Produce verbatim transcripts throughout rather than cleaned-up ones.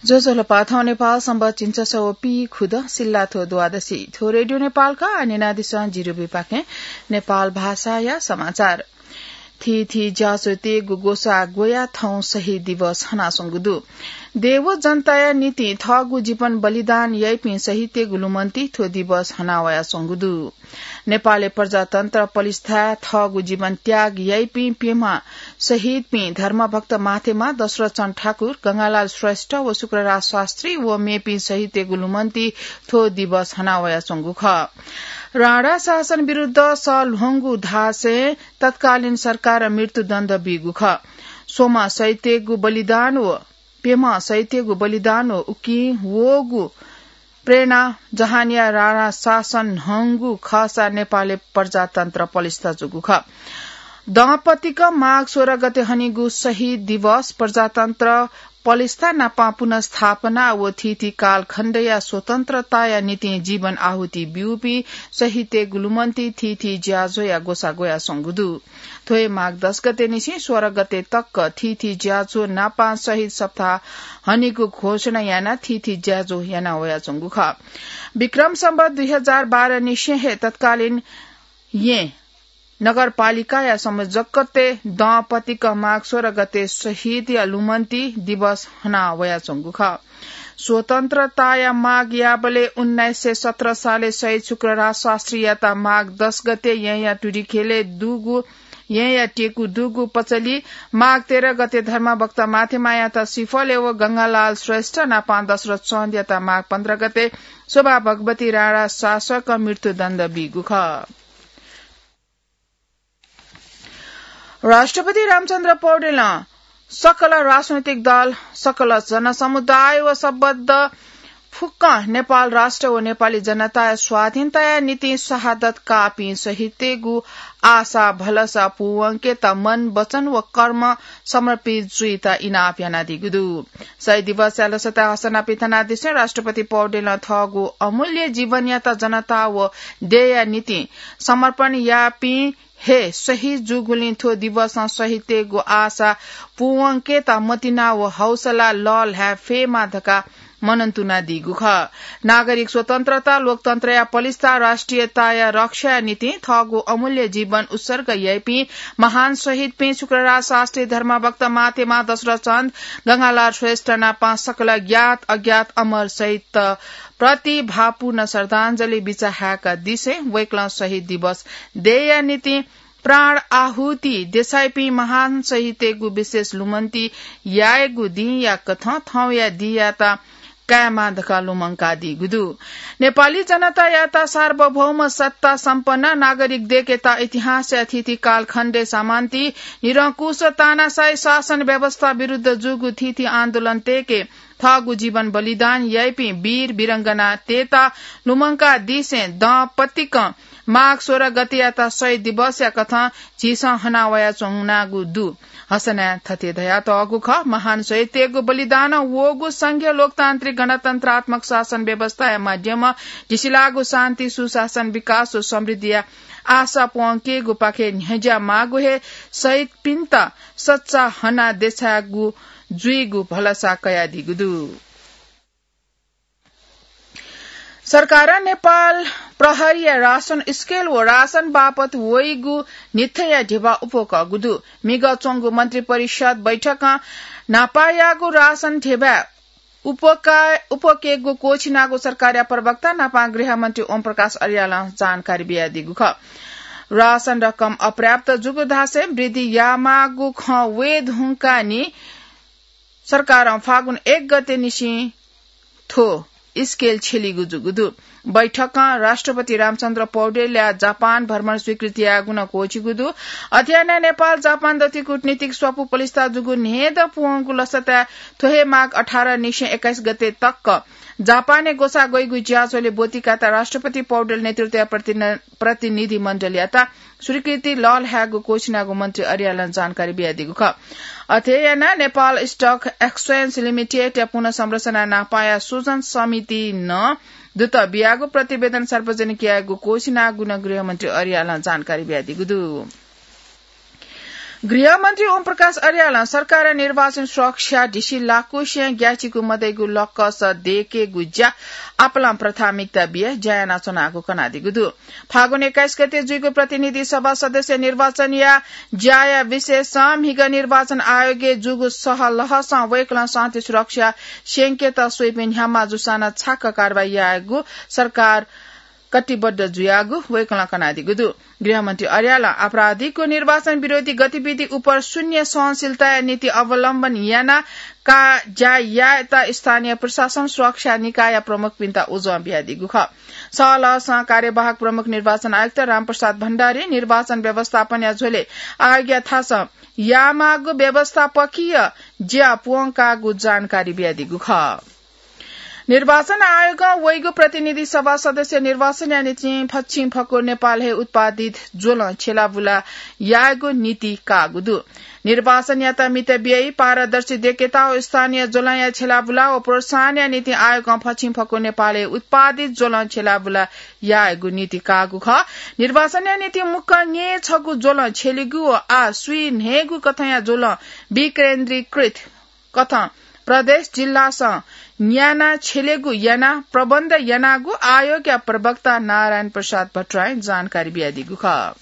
ज्वजलपा, थौं नेपाल संवत् झिंछसः व पीखुदँ सिल्लाथ्व द्वादशी। थ्व रेडियो नेपालया न्यनादिसँ जिरुबिपाखें नेपाल भाषाया समाचार। थीथी ज्याझ्वःतय्गु ग्वसाः ग्वयाः थौं शहीद दिवस हनाच्वंगु दु। देव जनताया निंतिं थःगु जीवन बलिदान याइपिं शहीदतय्गु लुमन्ति थ्व दिवस हनावयाच्वंगु दु। नेपालय् प्रजातन्त्र पलिस्था थःगु जीवन त्याग याइपिं प्यम्ह शहीदपिं धर्मभक्त माथेमा दशरथ चन्द ठाकुर, गंगालाल श्रेष्ठ व शुक्रराज शास्त्री व मेपिं शहीदतय्गु लुमन्ति थ्व दिवस हनावयाच्वंगु खः। राणा शासन विरुद्ध सः ल्ह्वंगु धासें तत्कालीन सरकारं मृत्युदण्ड बीगु खः। स्वम्ह शहीदतय्गु बलिदान व प्यम्ह शहीदतय्गु बलिदान व उकिं वःगु प्रेरणा जहानया राणा शासन न्हंगु खःसा नेपालय् प्रजातन्त्र पलिस्था जूगु खः। दँपतिक माघ सोह्र गते हनीगु शहीद दिवस प्रजातन्त्र पलिस्था नापं पुनर्स्थापना व थीथी कालखण्डया स्वतन्त्रताया निंतिं जीवन आहुति ब्यूपिं शहीदतय्गु लुमन्ति थीथी ज्याझ्वःया ग्वसाः ग्वयाच्वंगु दु। थ्व हे माघ दस गते निसें सोह्र गते तक थीथी ज्याझ्वः नापं शहीद सप्ताह हनीगु घोषणा यानाः थीथी ज्याझ्वः यानावयाच्वंगु खः। विक्रम संवत् दुई हजार बाह्र निसें हे तत्कालीन येँ नगरपालिकाया संयोजकत्वय् दँपतिक माघ सोह्र गते शहीदया लुमन्ति दिवस हनावयाच्वंगु खः। स्वतन्त्रताया माग याःबलय् उन्नाइस सय सत्र सालय् शहीद शुक्रराज शास्त्रीयात माघ दस गते येँया टुरिखेलय् दुगु, येँया टेकु दुगु पचली, माघ तेह्र गते धर्मभक्त माथेमायात सिफलय् व गंगालाल श्रेष्ठ नापं दशरथ चन्दयात माघ पन्ध्र गते शोभा भगवती राणा शासक मृत्युदण्ड बीगु खः। राष्ट्रपति रामचन्द्र पौडेलं सकल राजनैतिक दल, सकल जनसमुदाय व सम्बद्ध फुक्कं नेपाल राष्ट्र व नेपाली जनताया स्वाधीनताया निंतिं शहादत काःपिं शहीदतय्गु आशा भलसा पूवंकेत मन, वचन व कर्म समर्पित जुइत इनाप यानादीगु दु। शहीद दिवसया लसताय् हसना पिथनादिसें राष्ट्रपति पौडेलं थःगु अमूल्य जीवनयात जनता व देय्या निंतिं समर्पण याःपिं हे शहीद जूगुलिं थ्व दिवसं शहीदतय्गु आशा पूवंकेत मतिना व हौसला लःल्हाये फयेमा धकाः मनंतुनादीगु खः। नागरिक स्वतन्त्रता, लोकतन्त्रया पलिस्था, राष्ट्रियताया रक्षाया निंतिं थःगु अमूल्य जीवन उत्सर्ग याइपिं महान शहीदपिं शुक्रराज शास्त्री, धर्मभक्त माथेमा दशरथ चन्द, गंगालाल श्रेष्ठ नापं सकल ज्ञात अज्ञात अमर शहीदत प्रति भावपूर्ण श्रद्धाञ्जली बिचाः हाय्कादिसें वय्कलं शहीद दिवस देय्या निंतिं प्राण आहुति देछाइपिं महान शहीदतय्गु विशेष लुमन्ति यायेगु दिंया कथं थौंया दिंयात कायेमा धकाः लुमंकादीगु दु। नेपाली जनतायात सार्वभौम सत्ता सम्पन्न नागरिक दयेकेत इतिहासया थीथी कालखण्डय् सामन्ती निरंकुश तानाशाही शासन व्यवस्था विरुद्ध जूगु थीथी आन्दोलनतय्के थःगु जीवन बलिदान याइपिं वीर वीरंगनातय्त लुमंकादिसें दँपतिकं माघ सोह्र गतेयात शहीद दिवसया कथं झीसं हनावयाच्वनागु दु। हसनाय् थथे धयातःगु खः, महान शहीदतय्गु बलिदानं वःगु संघीय लोकतान्त्रिक गणतन्त्रात्मक शासन व्यवस्थाया माध्यमं झीसिलाःगु शान्ति, सुशासन, विकास व समृद्धिया आशा प्वंकेगुपाखे न्ह्यज्या माःगु हे शहीदपिन्त सच्चा हना देछायेगु जुइगु भलसा कयादीगु दु। सरकारं नेपाल प्रहरीया रासन स्केल व रासन बापत वइगु न्हिथया ध्यबा उप्वकःगु दु। म्हिगः च्वंगु मन्त्रिपरिषद बैठकं न्हापायागु रासन ध्यबा उप्वका-, उप्वकेगु क्वःछिनागु सरकारया प्रवक्ता नापं गृहमन्त्री ओम प्रकाश अर्यालं जानकारी बियादीगु खः। रासन रकम अपर्याप्त जूगु धासें वृद्धि यायेमाःगु खँ वये धुंकाः नि सरकारं फागुन एक गते निसें थ्व स्केल छ्यलीगु जूगु दु। बैठकं राष्ट्रपति रामचन्द्र पौडेलया जापान भ्रमण स्वीकृति यायेगु नं क्वःछिगु दु। अथे यानाः नेपाल जापान दथुइ कूटनीतिक स्वापू पलिस्था जूगु न्हय्दँ पूवंगु लसताय् थ्व हे माघ अठार निसें एक्काइस गते तक जापानय् ग्वसाः ग्वइगु ज्याझ्वलय् ब्वति कायेत राष्ट्रपति पौडेल नेतृत्वया प्रतिन-, प्रतिनिधि मण्डलयात स्वीकृति लःल्हायेगु क्वःछिनागु मन्त्री अर्यालं जानकारी बियादीगु खः। अथे यानाः नेपाल स्टक एक्सचेन्ज लिमिटेडया पुनर्संरचना नापंया सुजन समितिं नं दुत बियागु प्रतिवेदन सार्वजनिक यायेगु क्वःछिनागु नं गृहमन्त्री अर्यालं जानकारी बियादीगु दु। गृहमन्त्री ओम प्रकाश अर्यालं सरकारं निर्वाचन सुरक्षा धिसी लाकुसें ग्याचिकु मदइगु लक्कस दयेकेगु ज्या आपालं प्राथमिकता बिया ज्या यानाच्वनागु कनादीगु दु। फागुन एक्काइस गते जुइगु प्रतिनिधि सभा सदस्य निर्वाचनया ज्याया विषयसं म्हिगः निर्वाचन आयोगय् जूगु सहलहसं वय्कलं शान्ति सुरक्षा स्यंकेत स्वइपिं न्ह्याम्ह जूसां नं छाक्क कारवाही यायेगु सरकार कटिबद्ध जुयागु वय्कलं कनादीगु दु। गृहमन्त्री अर्यालं आपराधिक व निर्वाचन विरोधी गतिविधि उपर शून्य सहनशीलताया नीति अवलम्बन यानाः का ज्या यायेत स्थानीय प्रशासन सुरक्षा निकायया प्रमुखपिन्त उजं बियादीगु खः। सहलहसं कार्यवाहक प्रमुख निर्वाचन आयुक्त रामप्रसाद भण्डारी निर्वाचन व्यवस्थापनया झ्वलय् आयोगया थासं यायेमाःगु व्यवस्थापकीय ज्या प्वंकाःगु जानकारी बियादीगु खः। निर्वाचन आयोगं वइगु प्रतिनिधि सभा सदस्य निर्वाचनया निंतिं फच्छिं फक्व नेपालय् उत्पादित ज्वलं छ्यलाबुला यायेगु नीति काःगु दु। निर्वाचनयात मित बियाइ, पारदर्शी दयेकेत व स्थानीय ज्वलंया छ्यलाबुला व प्रोत्साहनया निंतिं आयोगं फच्छिं फक्व नेपालय् उत्पादित ज्वलं छ्यलाबुला यायेगु नीति काःगु खः। निर्वाचनया निंतिं मुक्कं न्यय् छगू ज्वलं छ्यलीगु व आः स्वीन्हय्गू कथंया ज्वलं विकेन्द्रीकृत कथं प्रदेश जिल्लासं न्याना छ्यलेगु यानाः प्रबन्ध यानागु आयोगया प्रवक्ता नारायण प्रसाद भट्टराईं जानकारी बियादीगु खः।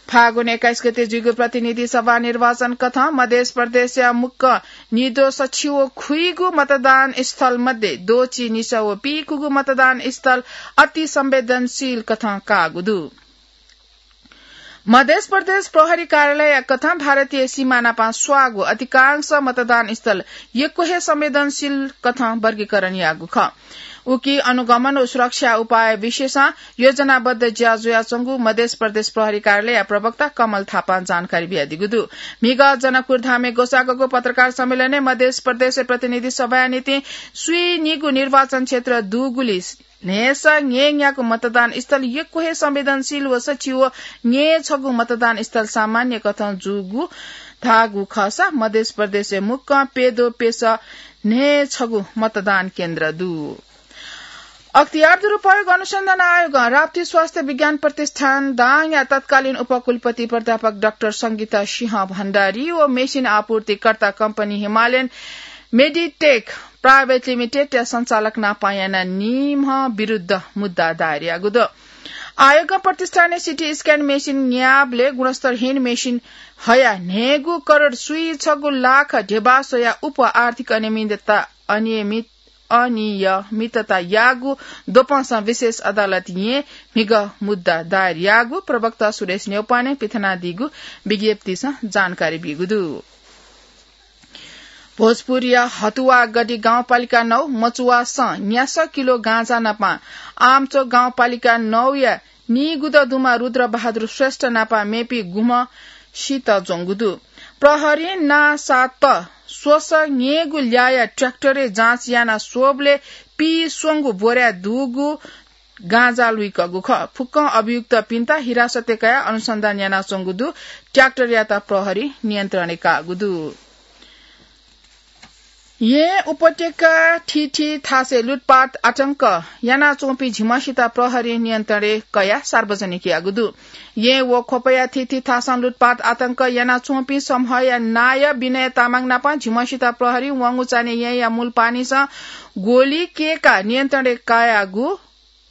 फागुन एक्काइस गते जुइगु प्रतिनिधि सभा निर्वाचन कथं मधेस प्रदेशया मुक्कं निद्वः सछि व खुइगु मतदान स्थल मध्ये द्वःछि निसः व पीकुगु मतदान स्थल अति संवेदनशील कथं काःगु दु। मधेस प्रदेश प्रहरी कार्यालयया कथं भारतीय सीमा नापं स्वाःगु अधिकांश मतदान स्थल यक्व हे संवेदनशील कथं वर्गीकरण याःगु खः। उकी अनुगमन व सुरक्षा उपाय विषयसं योजनाबद्ध ज्या जुयाच्वंगु मधेस प्रदेश प्रहरी कार्यालयया प्रवक्ता कमल थापां जानकारी बियादीगु दु। म्हिगः जनकपुर धामय् ग्वसाःगु पत्रकार सम्मेलनय् मधेस प्रदेश प्रतिनिधि सभाया निंतिं स्वीनिगू निर्वाचन क्षेत्र दुगुलिं न्हय्सः न्यय्न्यागू मतदान स्थल यक्व हे संवेदनशील व सछि व न्यय् छगू मतदान स्थल सामान्य कथं जूगु धाःगु खःसा मधेस प्रदेशय् मुक्कं प्यद्वः प्यसः न्हय् छगू मतदान केन्द्र दु। अख्तियार दुरुपयोग अनुसन्धान आयोगं राप्ती स्वास्थ्य विज्ञान प्रतिष्ठान दाङया तत्कालीन उपकुलपति प्राध्यापक डाक्टर संगीता सिंह भण्डारी व मेसिन आपूर्तिकर्ता कम्पनी हिमालयन मेडिटेक प्राइभेट लिमिटेडया सञ्चालक नापं यानाः निम्ह विरुद्ध मुद्दा दायर याःगु दु। आयोगं प्रतिष्ठानय् सिटी स्क्यान मेसिन न्याःबलय् गुणस्तरहीन मेसिन हयाः न्हय्गू करोड स्वीछगू लाख ध्यबा स्वयाः उप आर्थिक अनियमितता, अनियमित, अनियमितता याःगु द्वपंसं विशेष अदालतय् म्हिगः मुद्दा दायर याःगु प्रवक्ता सुरेश न्यौपानें पिथनादीगु विज्ञप्तिसं जानकारी ब्यूगु दु। भोजपुरया हतुवागढी गाउँपालिका नौ मचुवासं न्यासः किलो गाँजा नापं आमचोक गाउँपालिका नौया नीगुदँ दुम्ह रुद्र बहादुर श्रेष्ठ नापं मेपिं गुम्हसित ज्वंगु दु। प्रहरीं नांसात स्वसः न्यय्गु ल्याःया ट्र्याक्टरय् जाँच याना स्वःबलय् पीस्वंगू बोरा दुगु गाँजा लुइकःगु खः। फुक्कं अभियुक्तपिन्त हिरासतय् कयाः अनुसन्धान यानाच्वंगु दु। ट्र्याक्टरयात प्रहरीं नियन्त्रणय् काःगु दु। येँ उपत्यका थीथी थासय् लुटपाट आतंक यानाच्वंपिं झिम्हसित प्रहरीं नियन्त्रणय् कयाः सार्वजनिक याःगु दु। येँ व ख्वपया थीथी थासं लुटपाट आतंक यानाच्वंपिं समूहया नायः विनय तामाङ नाप झिम्हसित प्रहरीं वंगु चान्हय् येँया मूलपानीसं गोली कय्काः नियन्त्रणय् कयागु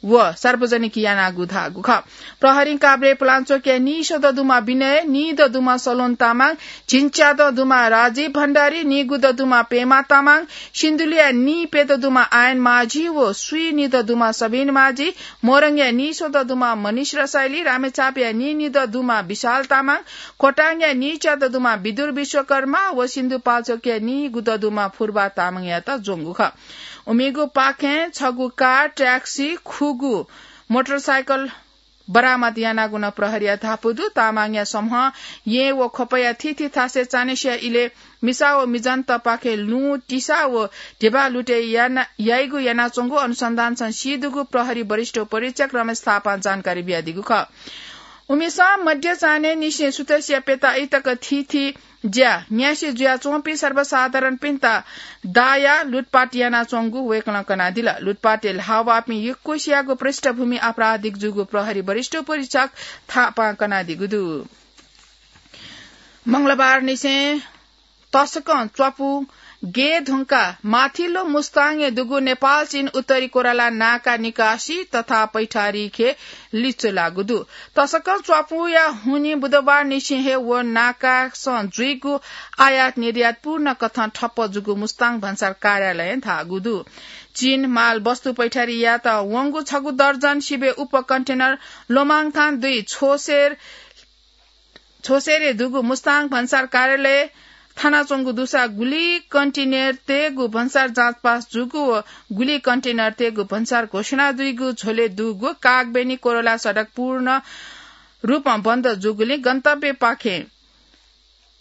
व सार्वजनिक यानागु धाःगु खः। प्रहरीं काभ्रे पुलांचोकया नीस्वदँ दुम्ह विनय, नीदँ दुम्ह सलोन तामाङ, झिंच्यादँ दुम्ह राजीव भण्डारी, नीगुदँ दुम्ह पेमा तामाङ, सिन्धुलीया नीप्यदँ दुम्ह आयन माझी व स्वीनिदँ दुम्ह सबिन माझी, मोरङया नीस्वदँ दुम्ह मनिष रसाइली, रामेछापया नीनिदँ दुम्ह विशाल तामाङ, खोटाङया नीच्यादँ दुम्ह विदुर विश्वकर्मा व सिन्धुपाल्चोकया नीगुदँ दुम्ह फुर्बा तामाङयात ज्वंगु खः। उमिगु पाखें छगू कार, ट्याक्सी, खुगू मोटरसाइकल बरामद यानागु नं प्रहरीया धापू दु। तामाङया समूहं येँ व ख्वपया थीथी थासय् चान्हय्सिया इलय् मिसा व मिजंतपाखें लुँ, तिसा व ध्यबा लुटे याना, याइगु यानाच्वंगु अनुसन्धानसं सीदुगु प्रहरी वरिष्ठ उपरीक्षक रमेश थापां जानकारी बियादीगु खः। उमिसं मध्य चान्हय् निसें सुथसिया प्यताइ तक थीथी ज्या न्यासि जुयाच्वंपिं सर्वसाधारणपिन्त दायाः लुटपाट यानाच्वंगु वय्कलं कनादिल। लुटपाटय् ल्हाः वःपिं यक्वसियागु पृष्ठभूमि आपराधिक जूगु प्रहरी वरिष्ठ उपरीक्षक थापां कनादीगु दु। मंगलबार निसें तसकं च्वापु गे धुंका माथिल्लो मुस्ताङय् दुगु नेपाल चीन उत्तरी कोराला नाका निकासी तथा पैठारी खे लिच्वलागु दु। तसकं च्वापुया हुनिं बुधबार निसें हे व नाकासं जुइगु आयात निर्यात पूर्ण कथं ठप्प जूगु मुस्ताङ भन्सार कार्यालयं धाःगु दु। चीन माल वस्तु पैठारी यात वंगु छगू दर्जन सिबे उप कन्टेनर लोमाङथान दुई छोसेर छोसेरे दुगु मुस्ताङ भन्सार कार्यालय थानाच्वंगु दुसा गुलि कन्टेनर तेगु भन्सार जाँचपास जूगु व गुलि कन्टेनर तेगु भन्सार घोषणा दुइगु झ्वले दुगु कागबेनी कोरोला सडक पूर्ण रूपं बन्द जूगुलिं गन्तव्यपाखे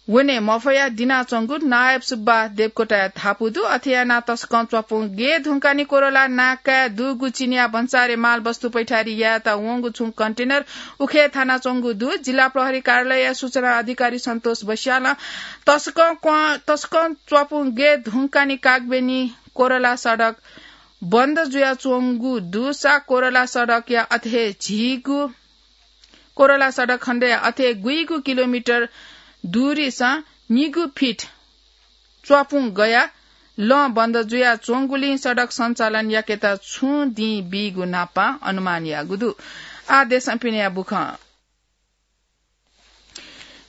वने मफया दिनाच्वंगु नायब सुब्बा देवकोटाया धापू दु। अथे यानाः तसकं च्वापुं गे धुंकानी कोरोला नाकाय् दुगु चिनिया भन्सारे माल वस्तु पैठारी यायेत वंगु छुं कन्टेनर उखे थानाच्वंगु दु। जिल्ला प्रहरी कार्यालयया सूचना अधिकारी सन्तोष बस्यालं तसकं क्वं-, तसकं च्वापुं गे धुंकानी कागबेनी कोरोला सडक बन्द जुयाच्वंगु दुसा कोरोला सडकया अथे झीगु कोरोला सडक खण्डया अथे गुइगु किलोमिटर दूरीसं निगू फिट च्वापुं गया लं बन्द जुयाच्वंगुलिं सडक सञ्चालन याकेत छुं दिं बीगु न्हापां अनुमान याःगु दु। आः देशं पिनेया बुखँ।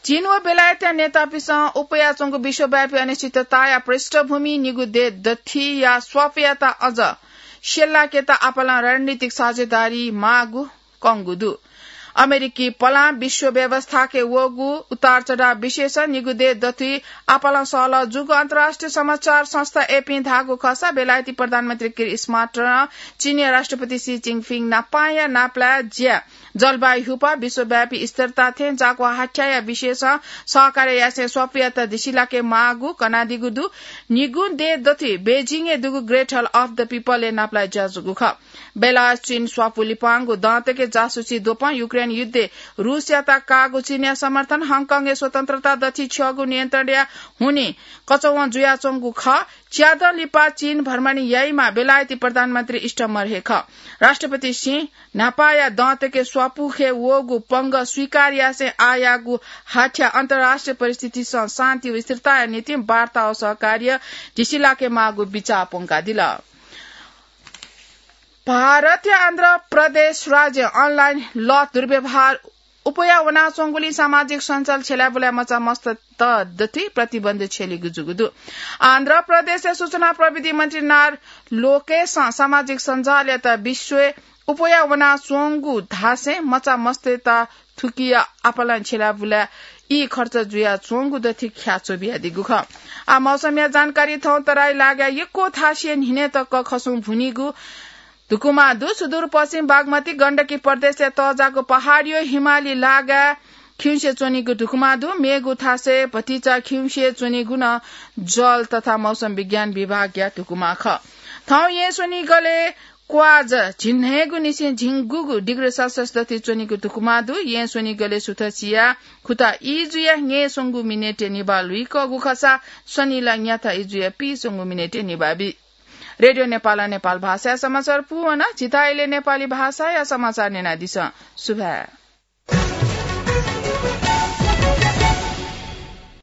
चीन व बेलायतया नेतापिन्सं उपयाच्वंगु विश्वव्यापी अनिश्चितताया पृष्ठभूमि निगू देय् दथिया स्वापयात अझ स्यलाकेत आपालं रणनीतिक साझेदारी माःगु कंगु दु। अमेरिकी पलां विश्व व्यवस्थाके वःगु उतार चढाव विशेष निगू देय् दथुइ आपालं सहलह जूगु अन्तर्राष्ट्रिय समाचार संस्था एपीं धाःगु खःसा बेलायती प्रधानमन्त्री किर स्मार्टरं चीनया राष्ट्रपति सी जिनपिङ नापांया नापलाय् ज्या जलवायु हुपा विश्वव्यापी स्थिरता थें जाकवा हाथ्याया विशेषं सहकार्य यासें स्वापुयात दिसिलाके माःगु कनादीगु दु। निगू देय् दथुइ बेजिङय् दुगु Great Hall of the People-य् नापलाय् ज्या जूगु खः। बेलायत चीन स्वापु लिपांगु दँतके जासुसी द्वपं युक्रेन युद्धय् रूसयात काःगु चीनया समर्थन, हङकङय् स्वतन्त्रता दथुइ छ्यःगु नियन्त्रणया हुनिं कचवं जुयाच्वंगु खः। च्यादँ लिपा चीन भ्रमण याइम्ह बेलायती प्रधानमन्त्री स्टमर हे खः। राष्ट्रपति सिं न्हापाया दँतके स्वापुखे वःगु पंगः स्वीकार यासें आःयाःगु हाथ्या अन्तर्राष्ट्रिय परिस्थितिसं शान्ति व स्थिरताया निंतिं वार्ता व सहकार्य दिसिलाके माःगु बिचाः प्वंकादिल। भारतया आन्ध्र प्रदेश राज्यं online लत दुर्व्यवहार उपया वनाच्वंगुलिं सामाजिक सञ्जाल छ्यलाबुलाय् मचा मस्त दथुइ प्रतिबन्ध छ्यलीगु जूगु दु। आन्ध्र प्रदेशया सूचना प्रविधि मन्त्री नारा लोकेशं सामाजिक सञ्जालयात विश्वय् उपया वनाच्वंगु धासें मचा मस्तय्त थुकिया आपालं छ्यलाबुलाय् ई खर्च जुयाच्वंगु दथुइ ख्याच्वः बियादीगु खः। आः मौसमया जानकारी। थौं तराई लागाय् यक्व थासय् न्हिनय् तक खसुं भुनीगु धुकुमा दु। सुदूरपश्चिम बागमती गण्डकी प्रदेशया तःजाःगु पहाडया हिमाली लागाय् खिउँसे च्वनीगु धुकुमा दु। मेगु थासय् भतिचा खिउँसे च्वनीगु नं जल तथा मौसम विज्ञान विभागया धुकुमा खः। थौं येँ स्वनिगलय् क्वाज झिंन्हय्गु निसें झिंगुगु डिग्री सेल्सियस दथुइ च्वनीगु धुकुमा दु। येँ स्वनिगलय् सुथ सिया खुता ई जुया न्यय्स्वंगू मिनेटय् निभाः लुइकःगु खःसा स्वनिला न्याथा ई जुया पीस्वंगू मिनेटय् निभाः बी। रेडियो नेपालं नेपाल भाषाया समाचार पूवन। झीत अले नेपाली भाषाया समाचार न्यनादिसँ। सुभाय्।